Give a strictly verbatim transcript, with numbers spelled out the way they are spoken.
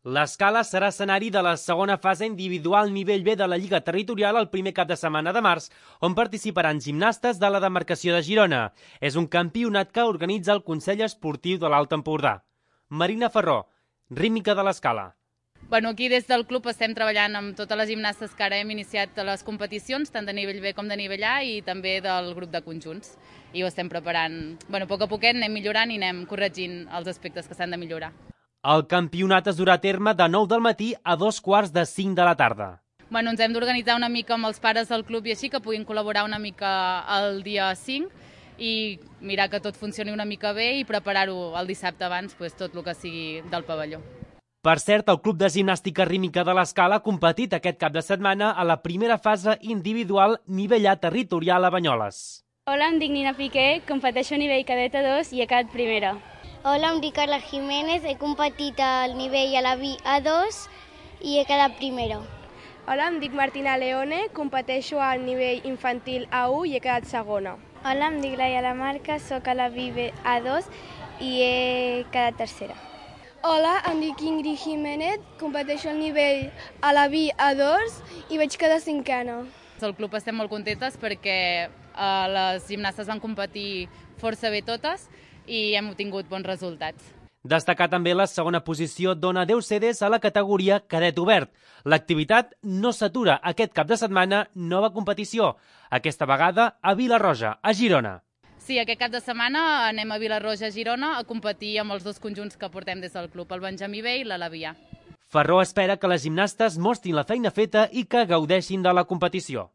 L'Escala serà escenari de la segona fase individual nivell B de la Lliga Territorial el primer cap de setmana de març, on participaran gimnastes de la demarcació de Girona. És un campionat que organitza el Consell Esportiu de l'Alt Empordà. Marina Ferró, rítmica de l'Escala. Bueno, aquí des del club estem treballant amb totes les gimnastes que ara hem iniciat les competicions, tant de nivell B com de nivell A, i també del grup de conjunts. I ho estem preparant, bueno, a poc a poquet anem millorant i anem corregint els aspectes que s'han de millorar. El campionat es durà a terme de nou del matí a dos quarts de cinc de la tarda. Bueno, ens hem d'organitzar una mica amb els pares del club i així, que puguin col·laborar una mica el dia cinc i mirar que tot funcioni una mica bé i preparar-ho el dissabte abans, pues, tot el que sigui del pavelló. Per cert, el Club de Gimnàstica Rítmica de l'Escala ha competit aquest cap de setmana a la primera fase individual nivell A territorial a Banyoles. Hola, em dic Nina Piqué, competeixo a nivell cadet A dos i he quedat primera. Hola, em dic Carla Jiménez, he competit al nivell a la B A dos i he quedat primera. Hola, em dic Martina Leone, competeixo al nivell infantil A u i he quedat segona. Hola, em dic Laia Lamarca, soc a la B A dos i he quedat tercera. Hola, em dic Ingrid Jiménez, competeixo al nivell a la B A dos i vaig quedar cinquena. Al club estem molt contentes perquè eh, les gimnastes van competir força bé totes i hem obtingut bons resultats. Destacar també la segona posició d'Ona Déu Cedes a la categoria cadet obert. L'activitat no s'atura aquest cap de setmana, nova competició, aquesta vegada a Vilarroja, a Girona. Sí, aquest cap de setmana anem a Vilarroja, a Girona, a competir amb els dos conjunts que portem des del club, el Benjamí B i l'Alavià. Ferró espera que les gimnastes mostrin la feina feta i que gaudeixin de la competició.